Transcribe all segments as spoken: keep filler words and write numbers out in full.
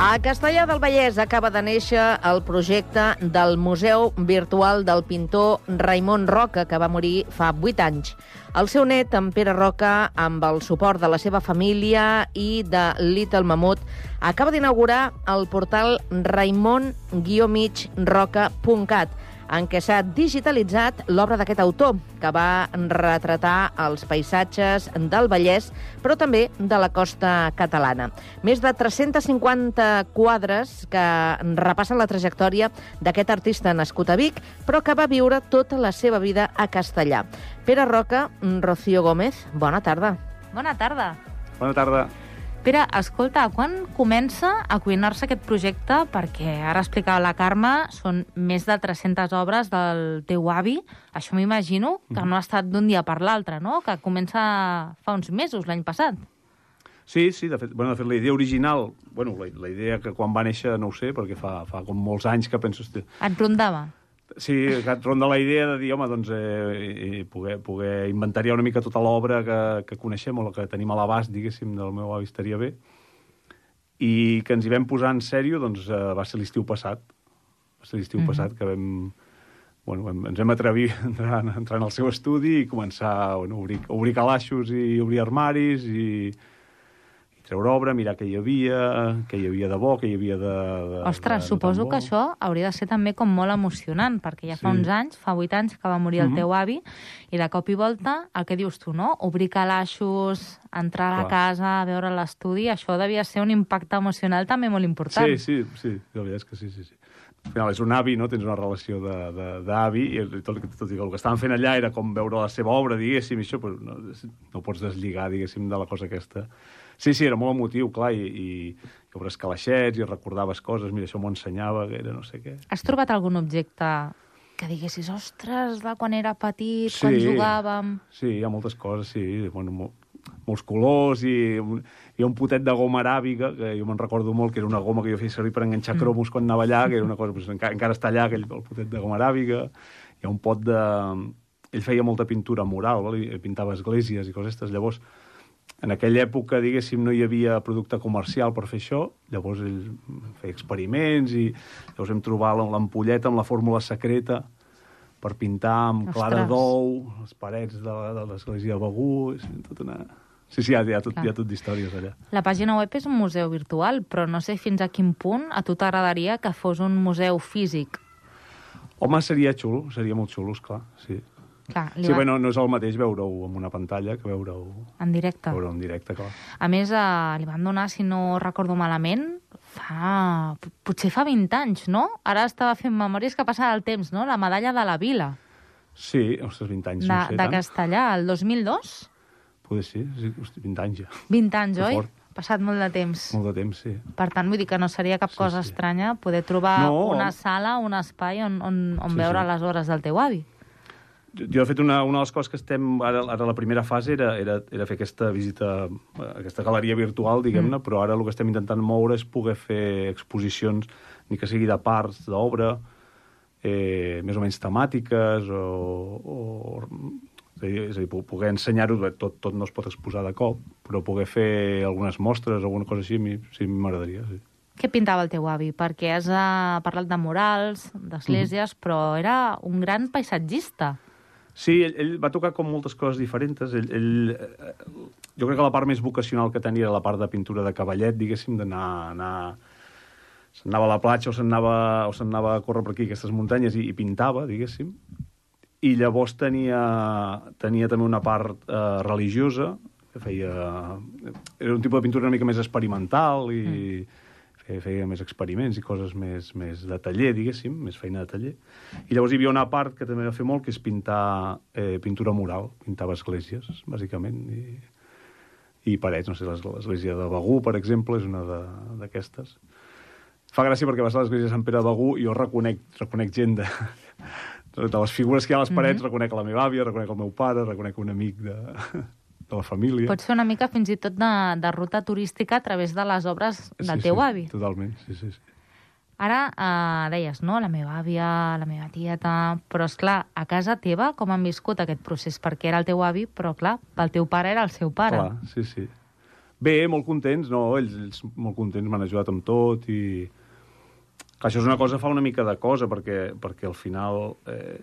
A Castellar del Vallès acaba de néixer el projecte del Museu Virtual del pintor Raimon Roca, que va morir fa vuit anys. El seu net, en Pere Roca, amb el suport de la seva família i de Little Mamut, acaba d'inaugurar el portal raimon guió mig roca punt cat, en què s'ha digitalitzat l'obra d'aquest autor, que va retratar els paisatges del Vallès, però també de la costa catalana. Més de tres-cents cinquanta quadres que repassen la trajectòria d'aquest artista nascut a Vic, però que va viure tota la seva vida a Castellar. Pere Roca, Rocío Gómez, bona tarda. Bona tarda. Bona tarda. Pere, escolta, quan comença a cuinar-se aquest projecte? Perquè ara explicava la Carme, són més de tres-centes obres del teu avi. Això m'imagino que no ha estat d'un dia per l'altre, no? Que comença fa uns mesos, l'any passat. Sí, sí, de fet, bueno, de fet la idea original, bueno, la, la idea que quan va néixer no ho sé, perquè fa, fa com molts anys que penso... Hosti... Et rondava? Sí, que et ronda la idea de dir, home, doncs, eh, poder, poder inventariar una mica tota l'obra que, que coneixem o la que tenim a l'abast, diguéssim, del meu avi estaria bé. I que ens hi vam posar en sèrio, doncs, eh, va ser l'estiu passat. Va ser l'estiu mm-hmm. passat que vam... Bueno, vam, ens vam atrevir a entrar, a entrar en el seu estudi i començar bueno, a obrir, a obrir calaixos i obrir armaris i... treure obra, mirar què hi havia, què hi havia de bo, què hi havia de... de Ostres, de, suposo de que això hauria de ser també com molt emocionant, perquè ja fa sí. uns anys, fa vuit anys, que va morir el mm-hmm. teu avi, i de cop i volta, el que dius tu, no? Obrir calaixos, entrar a la Clar. casa, veure l'estudi, això devia ser un impacte emocional també molt important. Sí, sí, sí, la veritat és que sí, sí, sí. Al final és un avi, no? Tens una relació d'avi, i tot, tot i que el que estaven fent allà era com veure la seva obra, diguéssim, i això, però no, no pots deslligar, diguéssim, de la cosa aquesta. Sí, sí, era molt emotiu, clar, i, i, i obres calaixets, i recordaves coses, mira, això m'ho ensenyava, que era no sé què. Has trobat algun objecte que diguessis, ostres, de quan era petit, sí, quan jugàvem... Sí, hi ha moltes coses, sí, bueno, mo, molts colors, i hi ha un potet de goma aràbiga, que jo me'n recordo molt, que era una goma que jo feia servir per enganxar cromos mm. quan anava allà, que era una cosa, pues, encara, encara està allà, aquell, el potet de goma aràbiga. Hi ha un pot de... Ell feia molta pintura mural, val? I pintava esglésies i coses aquestes, llavors... En aquella època, diguéssim, no hi havia producte comercial per fer això, llavors ell feia experiments i llavors vam trobar l'ampolleta amb la fórmula secreta per pintar amb Ostres. clara d'ou, les parets de, de l'església de Begur, tot una... Sí, sí, hi ha, hi ha tot, hi ha tot d'històries allà. La pàgina web és un museu virtual, però no sé fins a quin punt a tu t'agradaria que fos un museu físic. Home, seria xulo, seria molt xulo, esclar, sí. Clar, sí, va... bueno, no és el mateix veure-ho en una pantalla que veure-ho... En directe. Veure-ho en directe, clar. A més, eh, li van donar, si no recordo malament, fa... potser fa vint anys, no? Ara estava fent memòries que passava el temps, no? La medalla de la Vila. Sí, ostres, vint anys, de, no sé de tant. De Castellar, el dos mil dos? Poder sí, sí, hosti, vint anys ja. vint anys, que oi? Fort. Passat molt de temps. Molt de temps, sí. Per tant, vull dir que no seria cap sí, cosa sí. estranya poder trobar no. una sala, un espai on, on, on sí, veure sí. les obres del teu avi. Jo, de fet, una, una de les coses que estem... Ara, ara la primera fase era, era, era fer aquesta visita, aquesta galeria virtual, diguem-ne, mm. però ara el que estem intentant moure és poder fer exposicions, ni que sigui de parts d'obra, eh, més o menys temàtiques, o... o és a dir, és a dir poder ensenyar-ho, tot, tot no es pot exposar de cop, però poder fer algunes mostres, alguna cosa així, sí, m'agradaria, sí. Què pintava el teu avi? Perquè has uh, parlat de murals, d'esglésies, mm. però era un gran paisatgista. Sí, ell, ell va tocar com moltes coses diferents. Ell, ell, jo crec que la part més vocacional que tenia era la part de pintura de cavallet, diguéssim, d'anar... Anar... Se'n anava a la platja o se'n anava, o se'n anava a córrer per aquí, aquestes muntanyes, i, i pintava, diguéssim. I llavors tenia, tenia també una part eh, religiosa, que feia... Era un tipus de pintura una mica més experimental i... Mm. feia més experiments i coses més, més de taller, diguéssim, més feina de taller. I llavors hi havia una part que també va fer molt, que és pintar eh, pintura mural, pintava esglésies, bàsicament, i, i parets, no sé, l'església de Begur, per exemple, és una d'aquestes. Fa gràcia perquè vas a l'església de Sant Pere de Begur i jo reconec, reconec gent de, de les figures que hi ha a les parets, mm-hmm. reconec la meva àvia, reconec el meu pare, reconec un amic de... de la família. Pot ser una mica fins i tot de, de ruta turística a través de les obres del sí, teu sí, avi. Totalment, sí, sí, sí. Ara eh, deies, no?, la meva àvia, la meva tieta... Però, és clar, a casa teva com han viscut aquest procés? Perquè era el teu avi, però, clar, el teu pare era el seu pare. Clar, sí, sí. Bé, molt contents, no? Ells, ells molt contents, m'han ajudat amb tot i... Clar, això és una cosa, fa una mica de cosa, perquè, perquè al final... Eh,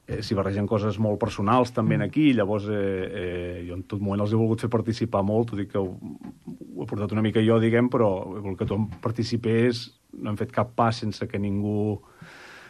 eh, s'hi barregen coses molt personals també aquí, llavors eh, eh, jo en tot moment els he volgut fer participar molt, t'ho dic que ho, ho he portat una mica jo, diguem, però el que tothom participés, no hem fet cap pas sense que ningú,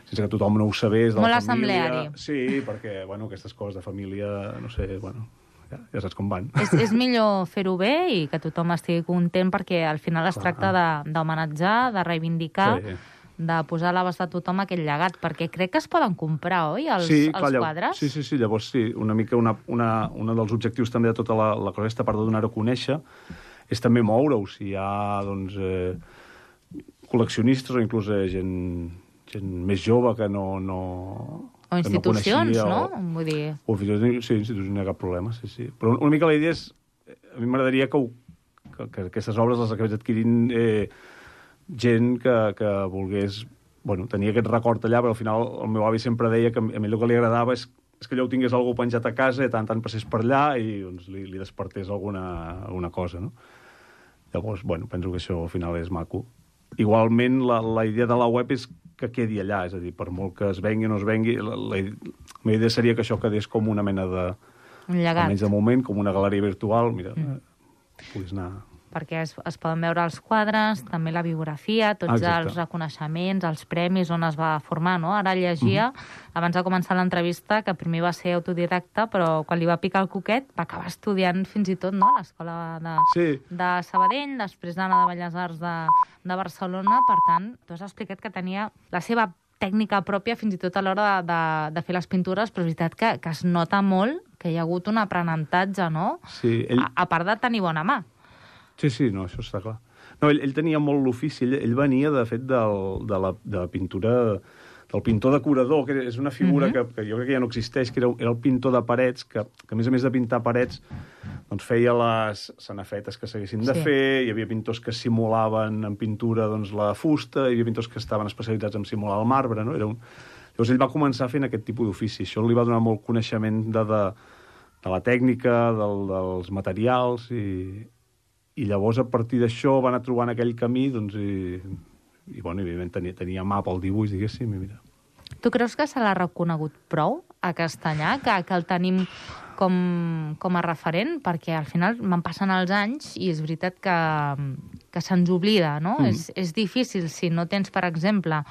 sense que tothom no ho sabés, de molt la família. assembleari. Sí, perquè, bueno, aquestes coses de família, no sé, bueno, ja, ja saps com van. És, és millor fer-ho bé i que tothom estigui content, perquè al final es Clar. tracta de- d'homenatjar, de, de reivindicar, Sí. de posar a l'abast de tothom aquell llegat, perquè crec que es poden comprar, oi, els, sí, els clar, llavors- quadres? Sí, sí, sí, llavors sí, una mica una, una, una dels objectius també de tota la, la cosa aquesta, a part de donar-ho a conèixer, és també moure-ho, si hi ha, doncs, eh, col·leccionistes o inclús eh, gent, gent més jove que no... no O institucions, que no? no? O, Vull dir... o fins i tot, sí, institucions, no hi ha cap problema, sí, sí. Però una mica la idea és... A mi m'agradaria que, ho, que, que aquestes obres les acabés adquirint eh, gent que, que volgués... Bueno, tenia aquest record allà, però al final el meu avi sempre deia que a mi el que li agradava és, és que allò ho tingués algú penjat a casa i tant tant passés per allà i doncs, li, li despertés alguna, alguna cosa, no? Llavors, bueno, penso que això al final és maco. Igualment, la, la idea de la web és que quedi allà, és a dir, per molt que es vengui o no es vengui, la, la, la meva idea seria que això quedés com una mena de... Un llegat. Almenys de moment, com una galeria virtual, mira, mm. puguis anar... Perquè es, es poden veure els quadres, també la biografia, tots Exacte. els reconeixements, els premis, on es va formar, no? Ara llegia, uh -huh. abans de començar l'entrevista, que primer va ser autodidacta, però quan li va picar el coquet va acabar estudiant fins i tot, no?, a l'escola de, Sí. de Sabadell, després d'anar de Belles Arts de, de Barcelona. Per tant, tu has explicat que tenia la seva tècnica pròpia fins i tot a l'hora de, de, de fer les pintures, però és veritat que, que es nota molt que hi ha hagut un aprenentatge, no?, Sí, ell... a, a part de tenir bona mà. Sí, sí, no, això està clar. No, ell, ell tenia molt l'ofici, ell, ell venia, de fet, del, de, la, de la pintura, del pintor decorador, que és una figura uh -huh. que, que jo crec que ja no existeix, que era, era el pintor de parets, que, que a més a més de pintar parets, doncs feia les sanafetes que s'haguessin de Sí. fer, hi havia pintors que simulaven en pintura doncs, la fusta, hi havia pintors que estaven especialitzats en simular el marbre, no? Era un... Llavors ell va començar fent aquest tipus d'ofici, això li va donar molt coneixement de, de, de la tècnica, del, dels materials, i... I llavors, a partir d'això, va anar trobant aquell camí, doncs, i, i bueno, evidentment, tenia, tenia mà pel dibuix, diguéssim, i mira. Tu creus que se l'ha reconegut prou a Castanyà, que, que el tenim com, com a referent? Perquè al final van passant els anys i és veritat que, que se'ns oblida, no? Mm. És, és difícil si no tens, per exemple,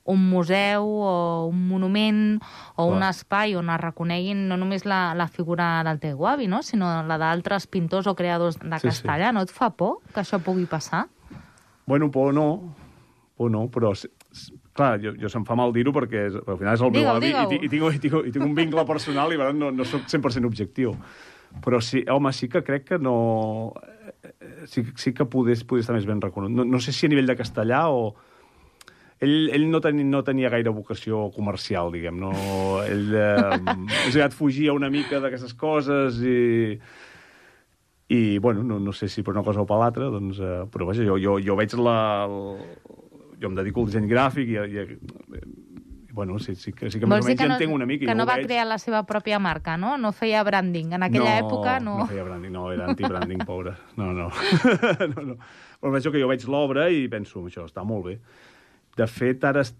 un museu o un monument o Clar. un espai on es reconeguin no només la, la figura del teu avi, no?, sinó la d'altres pintors o creadors de Sí, Castalla. sí. No et fa por que això pugui passar? Bueno, por no, por no, però... Clar, jo, jo se'm fa mal dir-ho perquè és, al final és el meu Digue-ho, avi i, digue-ho. i, i, tinc, i, tinc, i tinc un vincle personal i per tant no, no soc cent per cent objectiu. Però sí, home, sí que crec que no... Sí, sí que podés, podés estar més ben reconegut. No, no sé si a nivell de castellà o... Ell, ell no, tenia, no tenia gaire vocació comercial, diguem. No, ell eh, és aviat fugia una mica d'aquestes coses i... I, bueno, no, no sé si per una cosa o per l'altra, doncs... Eh, però, vaja, jo, jo, jo veig la... El, jo em dedico al disseny gràfic i... i, i bueno, sí, sí, que, sí que més Vols o dir menys que ja no, entenc una mica. que jo no ho va veig. crear la seva pròpia marca, no? No feia branding. En aquella no, època no... No feia branding, no, era anti-branding, pobre. No, no. no, no. Però veig que jo veig l'obra i penso, això està molt bé. De fet, ara est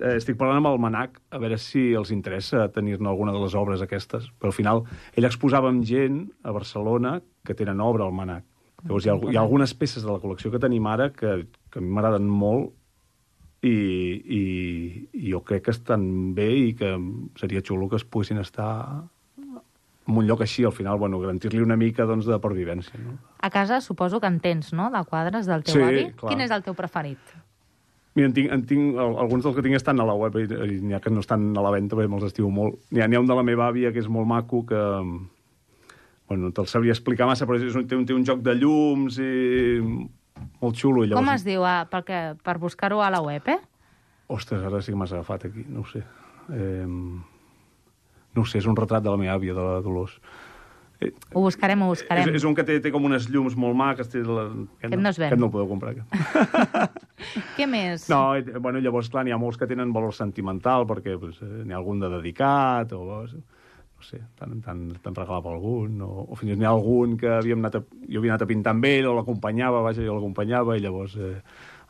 eh, estic parlant amb el Manac a veure si els interessa tenir-ne alguna de les obres aquestes. Però al final, ell exposava amb gent a Barcelona que tenen obra al Manac. Llavors, hi ha, hi ha algunes peces de la col·lecció que tenim ara que, que a mi m'agraden molt i, i, i jo crec que estan bé i que seria xulo que es poguessin estar en un lloc així, al final, bueno, garantir-li una mica doncs, de pervivència. No? A casa suposo que en tens, no?, de quadres del teu Sí, avi. clar. Quin és el teu preferit? Mira, en tinc, en tinc, alguns dels que tinc estan a la web i, i n'hi ha que no estan a la venda perquè me'ls estimo molt. N'hi ha, n'hi ha un de la meva àvia que és molt maco que... Bueno, no te'l sabria explicar massa, però és un, té, un, té un joc de llums i molt xulo. I llavors... Com es diu? Ah, perquè, per buscar-ho a la web, eh? Ostres, ara sí que m'has agafat aquí, no ho sé. Eh... No ho sé, és un retrat de la meva àvia, de la Dolors. Eh... Ho buscarem, ho buscarem. És, és un que té, té com unes llums molt maques. Té la... Aquest no es ven. Aquest no el podeu comprar, aquest. Què més? No, eh, bueno, llavors, clar, n'hi ha molts que tenen valor sentimental, perquè pues, eh, n'hi ha algun de dedicat, o... no sé, te'n regalava algun, o, o fins i tot n'hi ha algun que havíem anat a, jo havia anat a pintar amb ell, o l'acompanyava, vaja, jo l'acompanyava, i llavors eh,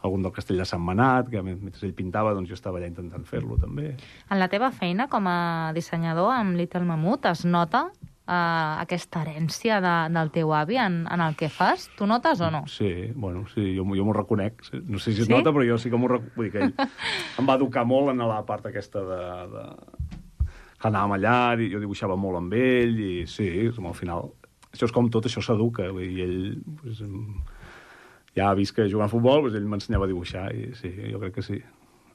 algun del Castell de Sant Manat, que mentre ell pintava, doncs jo estava allà intentant fer-lo, també. En la teva feina com a dissenyador amb Little Mammoth es nota Uh, aquesta herència de, del teu avi en, en el que fas? Tu notes o no? Sí, bueno, sí, jo, jo m'ho reconec. No sé si es sí? nota, però jo sí que m'ho reconec. Vull dir que ell em va educar molt en la part aquesta de... de... que anàvem allà, i jo dibuixava molt amb ell, i sí, al final... Això és com tot, això s'educa, i ell... Pues, ja ha vist que jugant a futbol, pues, ell m'ensenyava a dibuixar, i sí, jo crec que sí.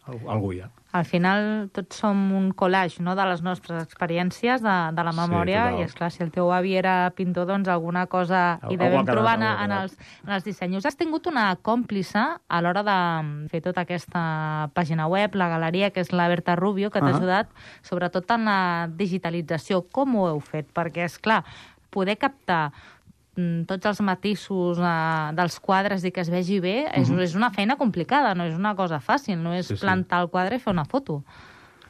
Algú hi ha. Al final tots som un collage, no?, de les nostres experiències, de, de la memòria, sí, i esclar, si el teu avi era pintor, doncs alguna cosa hi devem trobar en, en, els, en els dissenys. Has tingut una còmplice a l'hora de fer tota aquesta pàgina web, la galeria, que és la Berta Rubio, que t'ha uh-huh. ajudat sobretot en la digitalització. Com ho heu fet? Perquè, esclar, poder captar tots els matisos uh, dels quadres i que es vegi bé, és, uh-huh. és una feina complicada, no és una cosa fàcil, no és sí, plantar sí. el quadre i fer una foto,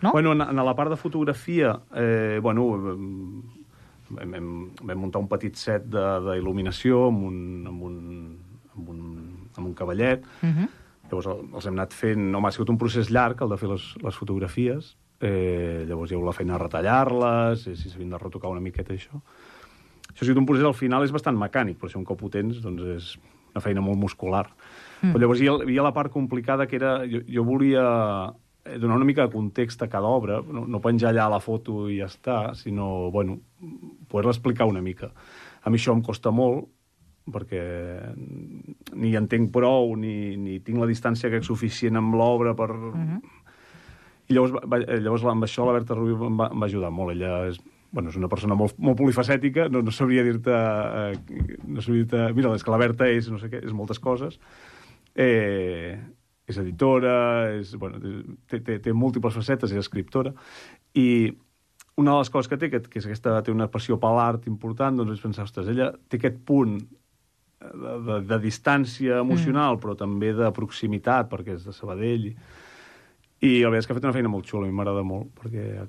no? Bueno, en, en la part de fotografia, eh, bueno, vam, vam, vam muntar un petit set d'il·luminació amb un, amb un, amb un, amb un cavallet. Uh-huh. Llavors els hem anat fent... Home, ha sigut un procés llarg, el de fer les, les fotografies. Eh, llavors hi ha hagut la feina de retallar-les, i si s'havien de retocar una miqueta, això. Això ha sigut un procés, al final, és bastant mecànic, però si un cop ho tens, doncs és una feina molt muscular. Mm. Però llavors hi ha, hi ha la part complicada, que era... Jo, jo volia donar una mica de context a cada obra, no, no penjar allà la foto i ja està, sinó, bueno, poder-la explicar una mica. A mi això em costa molt, perquè ni entenc prou, ni, ni tinc la distància que és suficient amb l'obra per... Mm-hmm. I llavors, va, llavors amb això la Berta Rubio em va, em va ajudar molt. Ella és... Bueno, és una persona molt, molt polifacètica, no, no sabria dir-te... Eh, no sabria dir-te... Mira, és que la Berta és, no sé què, és moltes coses. Eh, és editora, és, bueno, té, té, té múltiples facetes, és escriptora. I una de les coses que té, que, que és aquesta, té una passió per l'art important, doncs és pensar, ostres, ella té aquest punt de, de, de distància emocional, mm. però també de proximitat, perquè és de Sabadell. I, i la veritat és que ha fet una feina molt xula, a mi m'agrada molt, perquè...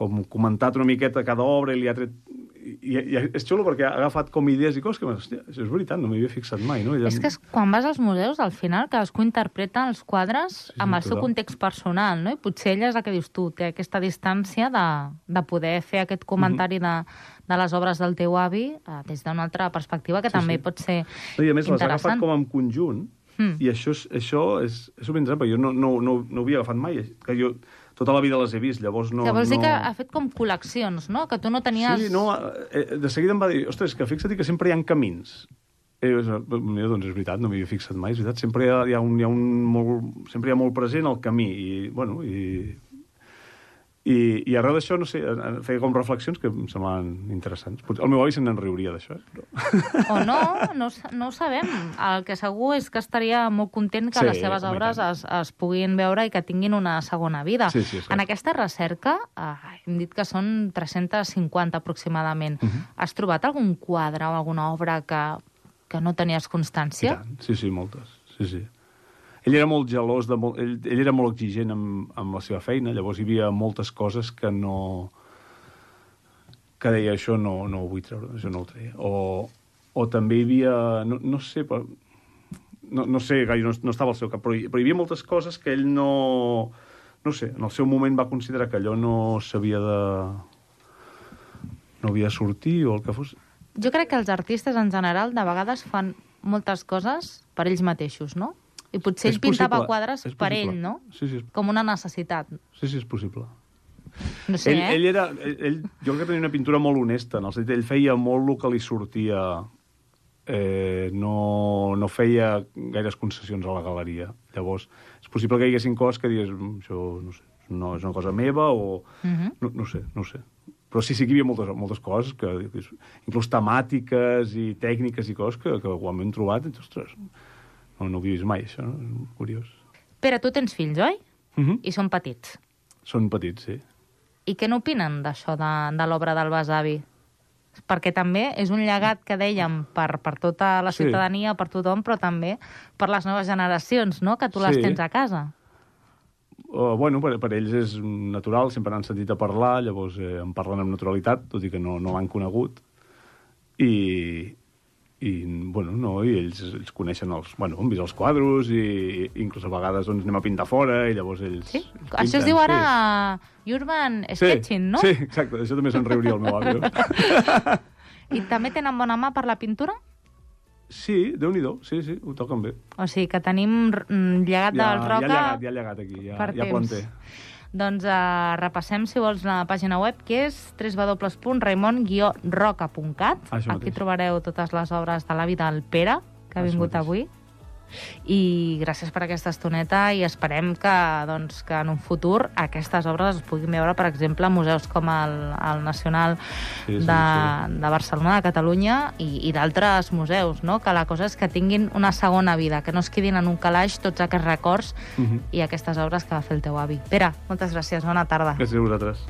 com comentat una miqueta cada obra, i li ha tret... I, i és xulo perquè ha agafat com idees i coses que, hòstia, això és veritat, no m'hi havia fixat mai, no? Ella... És que és, quan vas als museus, al final, cadascú interpreta els quadres sí, sí, amb el total. seu context personal, no? I potser ella és el que dius tu, té aquesta distància de, de poder fer aquest comentari mm-hmm. de, de les obres del teu avi eh, des d'una altra perspectiva, que sí, també sí. pot ser no, i a més les ha agafat com en conjunt, mm. i això, això és, és ben exemple, jo no, no, no, no ho havia agafat mai, que jo... Tota la vida les he vist, llavors no... Que vols dir no... que ha fet com col·leccions, no? Que tu no tenies... Sí, no, eh, de seguida em va dir, ostres, que fixa't que sempre hi ha camins. Eh, mira, doncs és veritat, no m'hi havia fixat mai, és veritat, sempre hi ha, hi ha, un, hi ha un molt... sempre hi ha molt present el camí, i, bueno, i... I, i arreu d'això, no sé, feia com reflexions que em semblaven interessants. El meu avi se'n riuria d'això. Eh? Però... O no, no, no ho sabem. El que segur és que estaria molt content que sí, les seves obres es, es puguin veure i que tinguin una segona vida. Sí, sí, en aquesta recerca, eh, hem dit que són tres-centes cinquanta aproximadament. Uh-huh. Has trobat algun quadre o alguna obra que, que no tenies constància? I tant. Sí, sí, moltes. Sí, sí. Ell era molt gelós, de molt, ell, ell era molt exigent amb, amb la seva feina, llavors hi havia moltes coses que no... que deia, això no, no ho vull treure, això no ho treia. O, o també hi havia... No, no sé, però, no, no sé gaire, no, no estava al seu cap, però hi, però hi havia moltes coses que ell no... No sé, en el seu moment va considerar que allò no s'havia de... no havia de sortir o el que fos. Jo crec que els artistes, en general, de vegades fan moltes coses per ells mateixos, no? I potser ell pintava quadres per ell, no? Sí, sí. Com una necessitat. Sí, sí, és possible. No sé, ell, eh? Ell era... Ell, ell, jo crec que tenia una pintura molt honesta, en el sentit, ell feia molt el que li sortia. Eh, no, no feia gaires concessions a la galeria. Llavors, és possible que hi haguessin coses que digués, això, no sé, no, és una cosa meva, o... Uh-huh. no, no sé, no sé. Però sí, sí que hi havia moltes, moltes coses, que, inclús temàtiques i tècniques i coses que, que ho hem trobat, i, ostres... No, no ho he vist mai, això, no? És curiós. Pere, tu tens fills, oi? Uh-huh. I són petits. Són petits, sí. I què n'opinen d'això, de, de l'obra del besavi? Perquè també és un llegat que dèiem per, per tota la ciutadania, sí. per tothom, però també per les noves generacions, no?, que tu les sí. tens a casa. Uh, bueno, per, per ells és natural, sempre n'han sentit a parlar, llavors eh, en parlen amb naturalitat, tot i que no, no l'han conegut. I, i, bueno, no, i ells, ells coneixen els... Bueno, han vist els quadros i, i inclús a vegades doncs, anem a pintar fora i llavors ells... Sí? ells Això es pinten, diu ara sí. Urban Sketching, no? Sí, exacte, això també se'n riuria el meu àvio. I també tenen bona mà per la pintura? Sí, Déu-n'hi-do, sí, sí, ho toquen bé. O sigui que tenim mm, llegat Ja, del Roca... ja llegat, ja llegat aquí, ja, ja planter. Doncs uh, repassem, si vols, la pàgina web, que és w w w punt raimon guió roca punt cat. Aquí trobareu totes les obres de l'avi del Pere, que ha vingut avui. I gràcies per aquesta estoneta i esperem que, doncs, que en un futur aquestes obres es puguin veure, per exemple, a museus com el, el Nacional sí, sí, de, sí. de Barcelona, de Catalunya i, i d'altres museus, no? Que la cosa és que tinguin una segona vida, que no es quedin en un calaix tots aquests records uh-huh. i aquestes obres que va fer el teu avi. Pere, moltes gràcies, bona tarda. Gràcies a vosaltres.